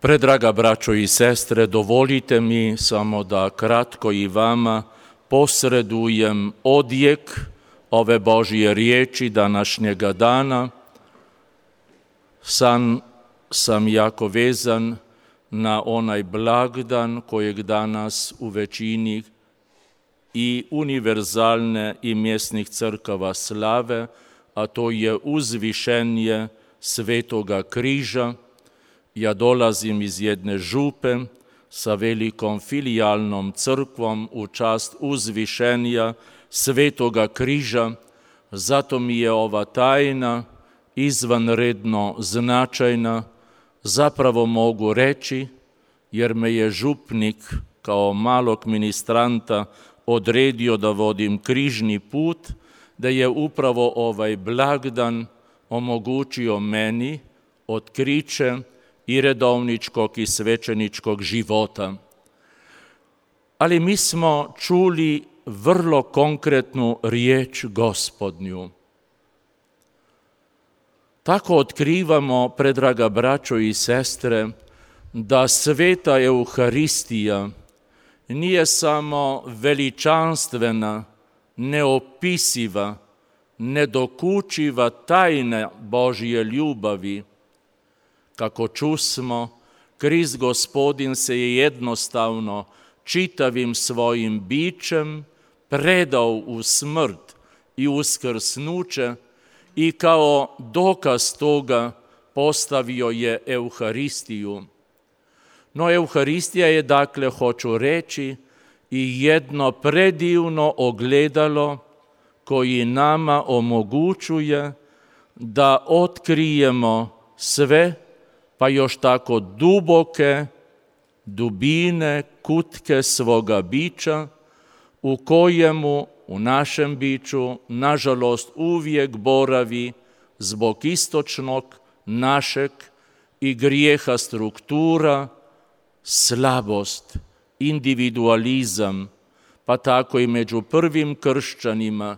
Predraga braćo i sestre, dovolite mi samo da kratko i vama posredujem odjek ove Božje riječi današnjega dana. Sam jako vezan na onaj blagdan kojeg danas u većini i univerzalne i mjesnih crkava slave, a to je uzvišenje Svetoga križa. Ja dolazim iz jedne župe sa velikom filijalnom crkvom u čast uzvišenja Svetoga križa, zato mi je ova tajna izvanredno značajna, zapravo mogu reći, jer me je župnik kao malog ministranta odredio da vodim križni put, da je upravo ovaj blagdan omogućio meni otkriće i redovničkog i svećeničkog života. Ali mi smo čuli vrlo konkretnu riječ Gospodnju. Tako otkrivamo, predraga braćo i sestre, da sveta Euharistija nije samo veličanstvena, neopisiva, nedokučiva tajna Božje ljubavi. Kako čusmo, Krist Gospodin se je jednostavno čitavim svojim bićem predao u smrt i uskrsnuće i kao dokaz toga postavio je Euharistiju. No Euharistija je, dakle, hoću reći, i jedno predivno ogledalo koji nama omogućuje da otkrijemo sve, pa još tako duboke dubine, kutke svoga bića, u kojemu u našem biću, nažalost, uvijek boravi zbog istočnog našeg i grijeha struktura, slabost, individualizam, pa tako i među prvim kršćanima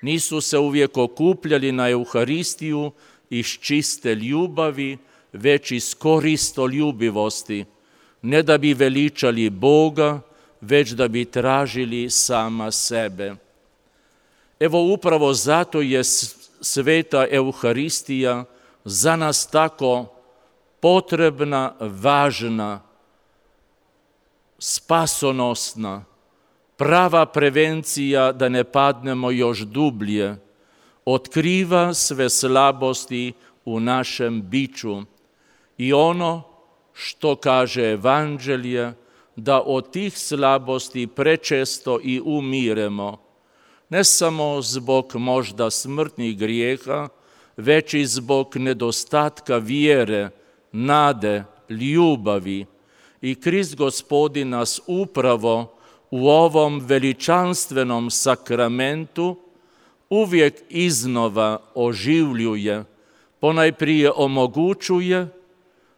nisu se uvijek okupljali na Euharistiju iz čiste ljubavi, već iz koristoljubivosti, ne da bi veličali Boga, već da bi tražili sama sebe. Evo upravo zato je sveta Euharistija za nas tako potrebna, važna, spasonosna, prava prevencija da ne padnemo još dublje, otkriva sve slabosti u našem biću i ono što kaže Evanđelje, da od tih slabosti prečesto i umiremo, ne samo zbog možda smrtnih grijeha, već i zbog nedostatka vjere, nade, ljubavi. I Krist Gospodin nas upravo u ovom veličanstvenom sakramentu uvijek iznova oživljuje, ponajprije omogućuje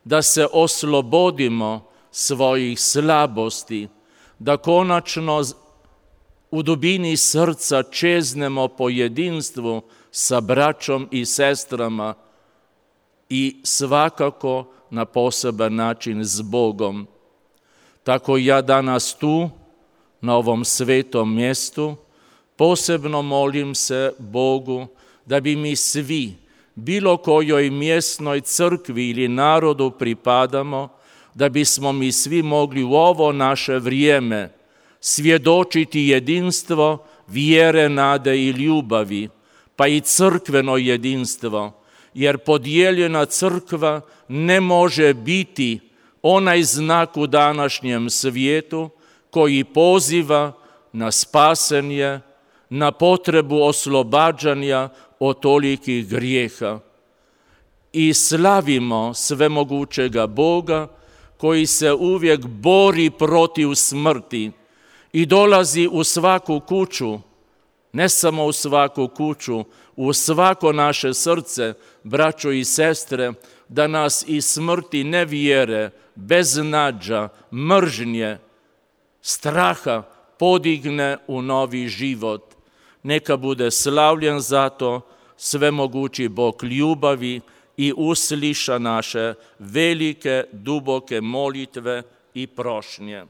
da se oslobodimo svojih slabosti, da konačno u dubini srca čeznemo po jedinstvu sa braćom i sestrama i svakako na poseban način s Bogom. Tako ja danas tu, na ovom svetom mjestu, posebno molim se Bogu da bi mi svi, bilo kojoj mjesnoj crkvi ili narodu pripadamo, da bismo mi svi mogli u ovo naše vrijeme svjedočiti jedinstvo vjere, nade i ljubavi, pa i crkveno jedinstvo, jer podijeljena crkva ne može biti onaj znak u današnjem svijetu koji poziva na spasenje, na potrebu oslobađanja od tolikih grijeha. I slavimo svemogućega Boga koji se uvijek bori protiv smrti i dolazi u svaku kuću, ne samo u svaku kuću, u svako naše srce, braćo i sestre, da nas iz smrti nevjere, beznađa, mržnje, straha podigne u novi život. Neka bude slavljen zato svemogući Bog ljubavi i usliša naše velike, duboke molitve i prošnje.